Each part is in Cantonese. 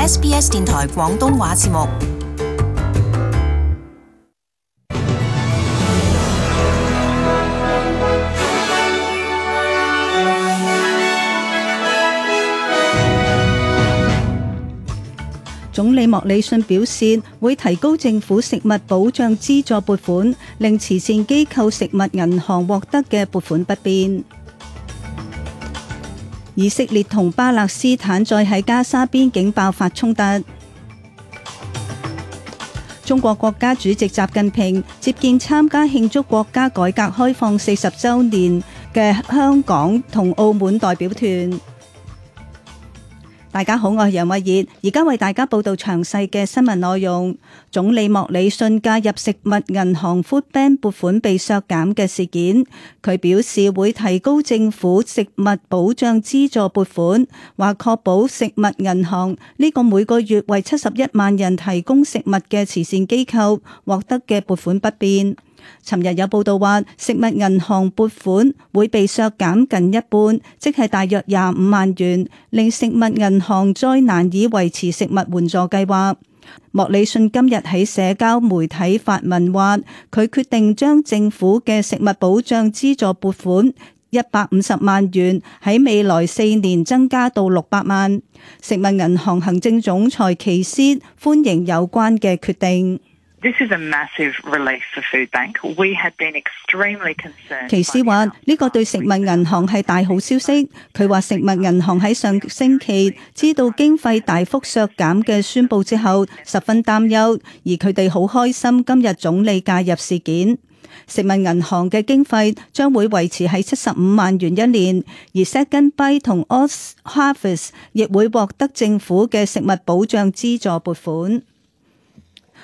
SBS 電台廣東話節目。總理莫里遜表示，會提高政府食物保障資助撥款，令慈善機構食物銀行獲得嘅撥款不變。以色列同巴勒斯坦再喺加沙邊境爆發衝突。中國國家主席習近平接見參加慶祝國家改革開放40週年嘅香港同澳門代表團。大家好，我係楊慧儀，而家為大家報道詳細嘅新聞內容。總理莫里遜介入食物銀行 Food Bank 撥款被削減嘅事件，佢表示會提高政府食物保障資助撥款，話確保食物銀行呢個每個月為71萬人提供食物嘅慈善機構獲得嘅撥款不變。尋日有報道話，食物銀行撥款會被削減近一半，即係大約25萬元，令食物銀行再難以維持食物援助計劃。莫里遜今日喺社交媒體發文話，佢決定將政府嘅食物保障資助撥款150萬元喺未來4年增加到600萬。食物銀行行政總裁奇斯歡迎有關嘅決定。奇斯話：呢個對食物銀行係大好消息。佢話食物銀行喺上星期知道經費大幅削減嘅宣佈之後，十分擔憂，而佢哋好開心今日總理介入事件。食物銀行嘅經費將會維持喺75萬元一年，而 Second Bite 同 Oz Harvest 亦會獲得政府嘅食物保障資助撥款。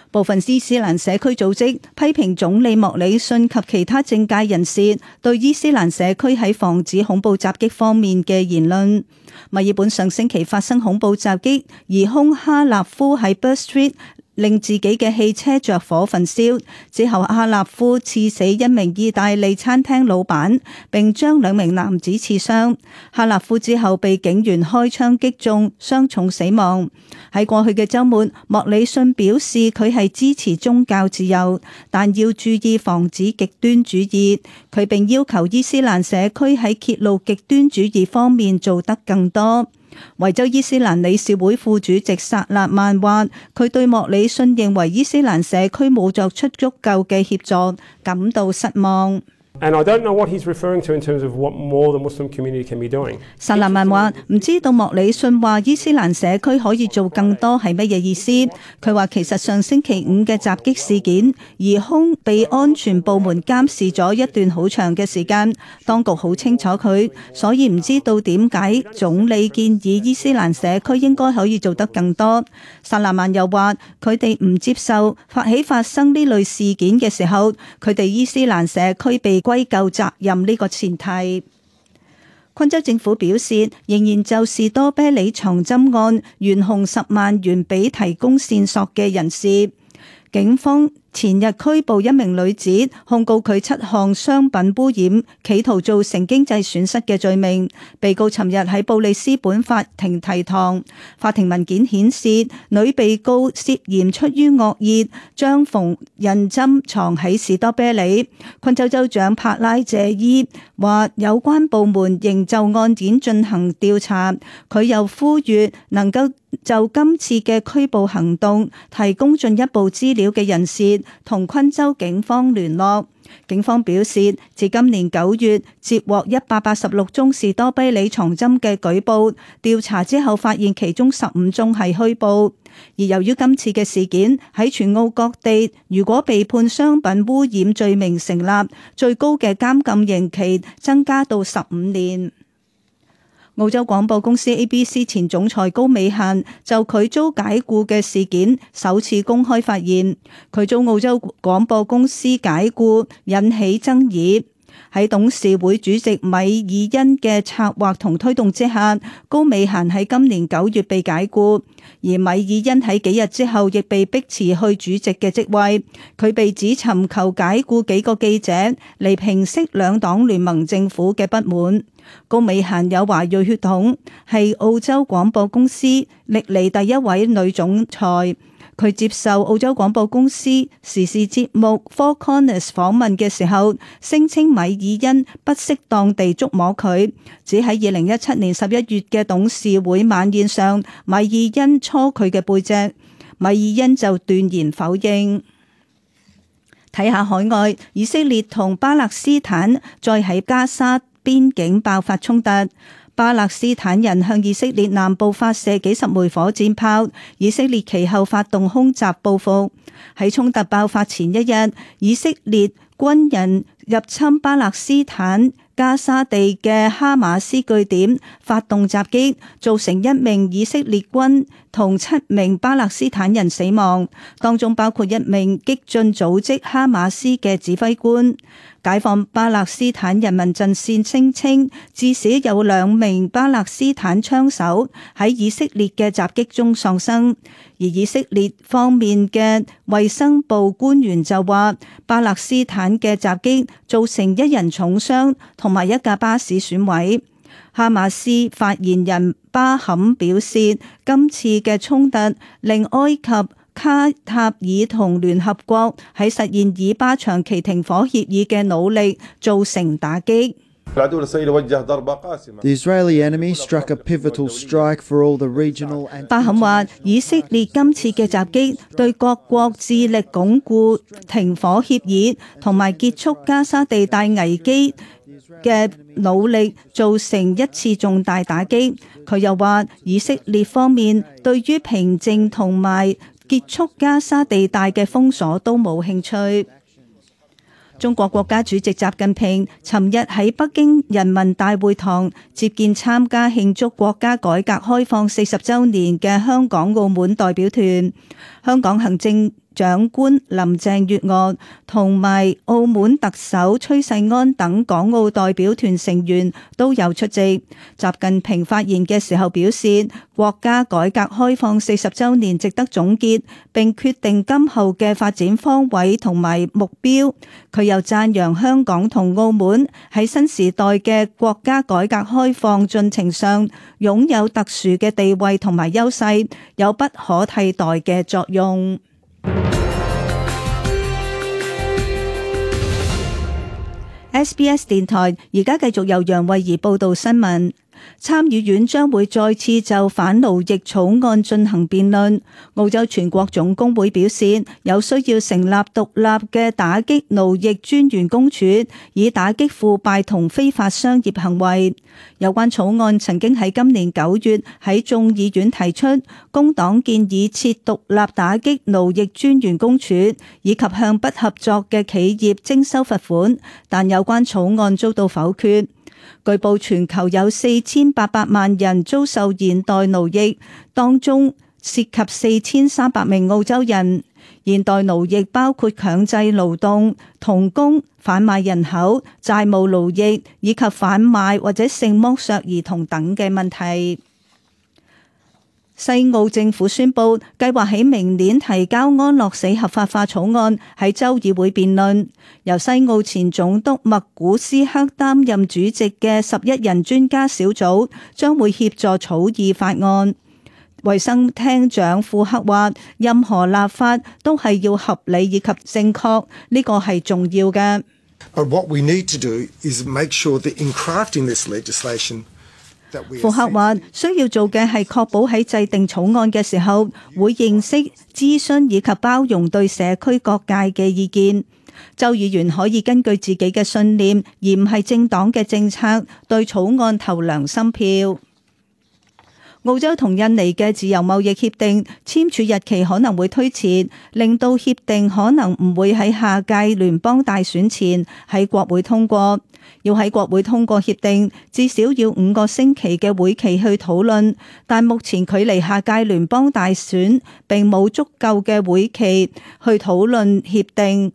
部分伊斯蘭社區組織批評總理莫里遜及其他政界人士對伊斯蘭社區喺防止恐怖襲擊方面嘅言論。墨爾本上星期發生恐怖襲擊，疑兇哈納夫喺 Burr Street令自己嘅汽車着火焚燒，之後哈納夫刺死一名意大利餐廳老闆，並將2名男子刺傷。哈納夫之後被警員開槍擊中，傷重死亡。喺過去嘅週末，莫里遜表示佢係支持宗教自由，但要注意防止極端主義。佢並要求伊斯蘭社區喺揭露極端主義方面做得更多。維州伊斯蘭理事會副主席薩勒曼話，佢對莫里遜認為伊斯蘭社區冇作出足夠嘅協助感到失望。And I don't know what he's referring to in terms of what more the Muslim community can be doing. 薩勒曼話唔知道莫里遜話伊斯蘭社區可以做更多係乜嘢意思。佢話其實上星期5嘅襲擊事件，疑兇被安全部門監視咗一段好長嘅時間，當局好清楚佢，所以唔知道點解總理建議伊斯蘭社區應該可以做得更多。薩勒曼又話佢哋唔接受發生呢類事件嘅時候，佢哋伊斯蘭社區被歸咎責任呢個前提。昆州政府表示，仍然就士多啤梨藏針案懸紅10萬元俾提供線索嘅人士。警方前日拘捕一名女子，控告佢7項商品污染、企圖造成經濟損失嘅罪名。被告尋日喺布里斯本法庭提堂。法庭文件顯示，女被告涉嫌出於惡意，將縫紉針藏喺士多啤梨。昆州州長帕拉謝伊話，有關部門仍就案件進行調查。佢又呼籲能夠就今次嘅拘捕行動提供進一步資料嘅人士同昆州警方聯絡。警方表示，自今年9月接獲186宗士多啤梨藏針嘅舉報，調查之後發現其中15宗係虛報。而由於今次嘅事件喺全澳各地，如果被判商品污染罪名成立，最高嘅監禁刑期增加到15年。澳洲廣播公司 ABC 前總裁高美嫻就佢遭解僱嘅事件首次公開發言，佢遭澳洲廣播公司解僱引起爭議。喺董事會主席米爾恩嘅策劃同推動之下，高美嫻喺今年9月被解僱，而米爾恩喺幾日之後亦被逼辭去主席嘅職位。佢被指尋求解僱幾個記者嚟平息兩黨聯盟政府嘅不滿。高美嫻有華裔血統，係澳洲廣播公司歷嚟第一位女總裁。佢接受澳洲廣播公司時事節目 Four Corners 訪問嘅時候，聲稱米爾恩不適當地觸摸佢，只喺2017年11月嘅董事會晚宴上，米爾恩搓佢嘅背脊，米爾恩就斷言否認。睇下海外，以色列同巴勒斯坦再喺加沙邊境爆發衝突。巴勒斯坦人向以色列南部發射幾十枚火箭炮，以色列其後發動空襲報復。喺衝突爆發前一日，以色列軍人入侵巴勒斯坦加沙地嘅哈馬斯據點，發動襲擊，造成1名以色列軍同7名巴勒斯坦人死亡，當中包括1名激進組織哈馬斯嘅指揮官。解放巴勒斯坦人民陣線聲稱，至少有2名巴勒斯坦槍手喺以色列嘅襲擊中喪生，而以色列方面嘅衛生部官員就話，巴勒斯坦嘅襲擊造成1人重傷同埋1架巴士損毀。哈馬斯發言人巴坎表示，今次嘅衝突令埃及、卡塔爾同聯合國喺實現以巴長期停火協議嘅努力造成打擊。巴坎話，以色列今次嘅襲擊對各國致力鞏固停火協議同埋結束加沙地帶危機嘅努力造成一次重大打擊。佢又話，以色列方面對於平靜同埋結束加沙地帶嘅封鎖都冇興趣。中國國家主席習近平尋日喺北京人民大會堂接見參加慶祝國家改革開放40週年嘅香港、澳門代表團。香港行政長官林鄭月娥同埋澳門特首崔世安等港澳代表團成員都有出席。習近平發言嘅時候表示，國家改革開放40週年值得總結，並決定今後嘅發展方位同埋目標。佢又讚揚香港同澳門喺新時代嘅國家改革開放進程上擁有特殊嘅地位同埋優勢，有不可替代嘅作用。SBS 電台而家繼續由楊慧儀報道新聞。參議院將會再次就反奴役草案進行辯論。澳洲全國總工會表示，有需要成立獨立嘅打擊奴役專員公署，以打擊腐敗同非法商業行為。有關草案曾經喺今年9月喺眾議院提出，工黨建議設獨立打擊奴役專員公署，以及向不合作嘅企業徵收罰款，但有關草案遭到否決。據報全球有4800萬人遭受現代奴役，當中涉及4300名澳洲人。現代奴役包括強制勞動、童工、販賣人口、債務奴役以及販賣或者性剝削兒童等嘅問題。西澳政府宣布計劃喺明年提交安樂死合法化草案，喺州議會辯論。由西澳前總督麥古斯克擔任主席嘅11人專家小組將會協助草擬法案。衛生廳長庫克話，任何立法都係要合理以及正確，呢個係重要嘅。But what we need to do is make sure that in crafting this legislation,庫克話，需要做嘅係確保喺制定草案嘅時候，會認識、諮詢以及包容對社區各界嘅意見。州議員可以根據自己嘅信念，而唔係政黨嘅政策，對草案投良心票。澳洲同印尼嘅自由貿易協定簽署日期可能會推遲，令到協定可能唔會喺下屆聯邦大選前喺國會通過。要喺國會通過協定，至少要5個星期嘅會期去討論，但目前距離下屆聯邦大選並冇足夠嘅會期去討論協定。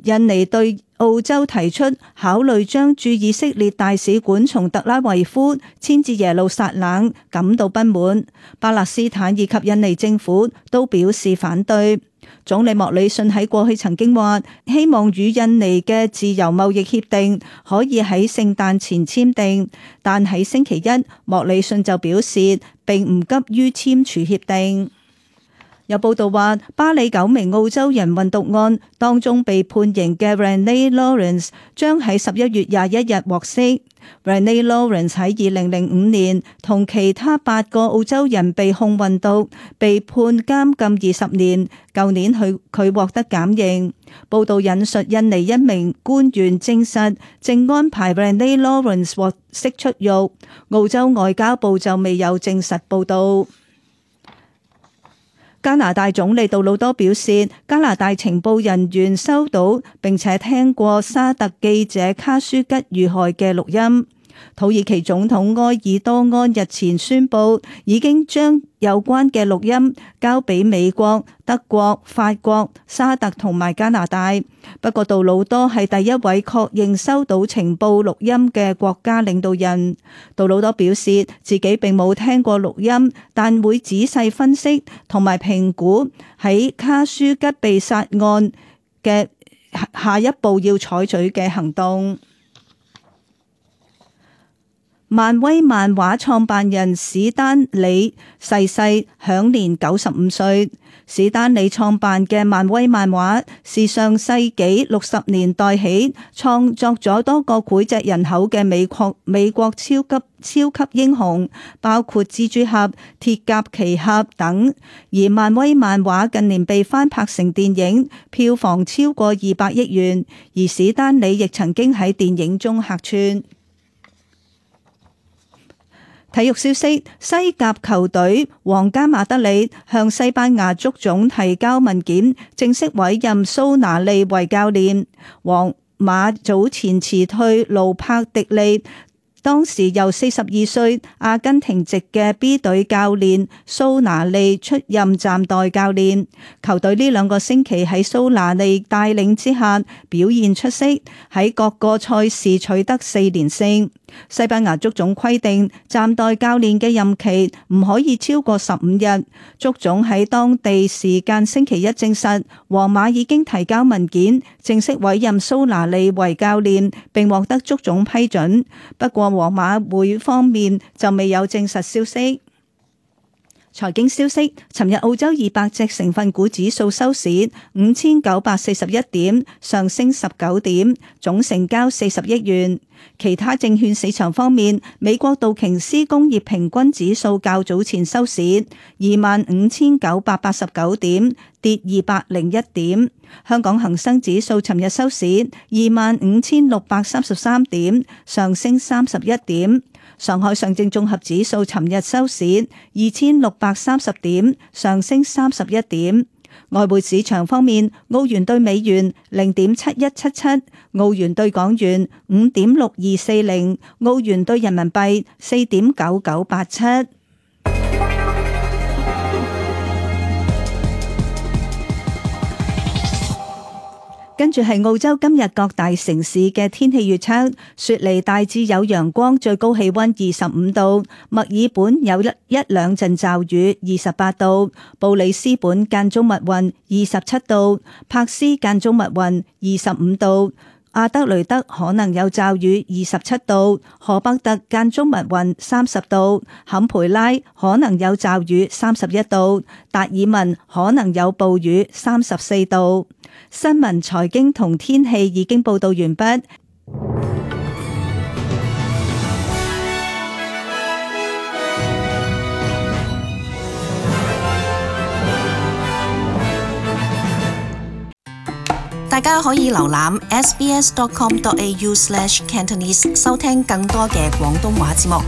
印尼對澳洲提出考慮將駐以色列大使館從特拉維夫遷至耶路撒冷感到不滿，巴勒斯坦以及印尼政府都表示反對。總理莫里遜喺過去曾經話，希望與印尼嘅自由貿易協定可以喺聖誕前簽訂，但喺星期一，莫里遜就表示並唔急於簽署協定。有報道話，巴里9名澳洲人運毒案當中被判刑嘅 Renee Lawrence 將喺11月21日獲釋。Renee Lawrence 喺2005年同其他8個澳洲人被控運毒，被判監禁20年。舊年佢獲得減刑。報道引述印尼一名官員證實，正安排 Renee Lawrence 獲釋出獄。澳洲外交部就未有證實報導。加拿大總理杜魯多表示，加拿大情報人員收到並且聽過沙特記者卡舒吉遇害嘅錄音。土耳其總統埃爾多安日前宣布，已經將有關嘅錄音交俾美國、德國、法國、沙特同埋加拿大。不過杜魯多係第一位確認收到情報錄音嘅國家領導人。杜魯多表示自己並冇聽過錄音，但會仔細分析同埋評估喺卡舒吉被殺案嘅下一步要採取嘅行動。漫威漫畫創辦人史丹李逝世，享年95歲。史丹李創辦嘅漫威漫畫是上世紀60年代起創作咗多個膾炙人口嘅美國超級英雄，包括蜘蛛俠、鐵甲奇俠等。而漫威漫畫近年被翻拍成電影，票房超過200億元。而史丹李亦曾經喺電影中客串。體育消息：西甲球隊皇家馬德里向西班牙足總提交文件，正式委任蘇拿利為教練。皇馬早前辭退盧柏迪利，當時由42歲阿根廷籍嘅 B 隊教練蘇拿利出任暫代教練。球隊呢2個星期喺蘇拿利帶領之下表現出色，喺各個賽事取得4連勝。西班牙足總規定暫代教練嘅任期唔可以超過15日。足總喺當地時間星期一證實，皇馬已經提交文件，正式委任蘇拿利為教練，並獲得足總批准。不過皇馬會方面就未有證實消息。財經消息：尋日澳洲200隻成分股指數收市5941點，上升19點，總成交40億元。其他證券市場方面，美國道瓊斯工業平均指數較早前收市25,989點，跌201點。香港恒生指數尋日收市25,633點，上升31點。上海上證綜合指數尋日收市2,630點，上升31點。外匯市場方面，澳元兌美元0.7177，澳元兌港元5.6240，澳元兌人民幣4.9987。跟住係澳洲今日各大城市嘅天氣預測：雪梨大致有陽光，最高氣溫25度；墨爾本有一兩陣驟雨，28度；布里斯本間中密雲，27度；柏斯間中密雲，25度；阿德雷德可能有驟雨，27度；荷伯特間中密雲，30度；坎培拉可能有驟雨，31度；達爾文可能有暴雨，34度。新聞、財經同天氣已經報道完畢。大家可以瀏覽 sbs.com.au/cantonese 收聽更多嘅廣東話節目。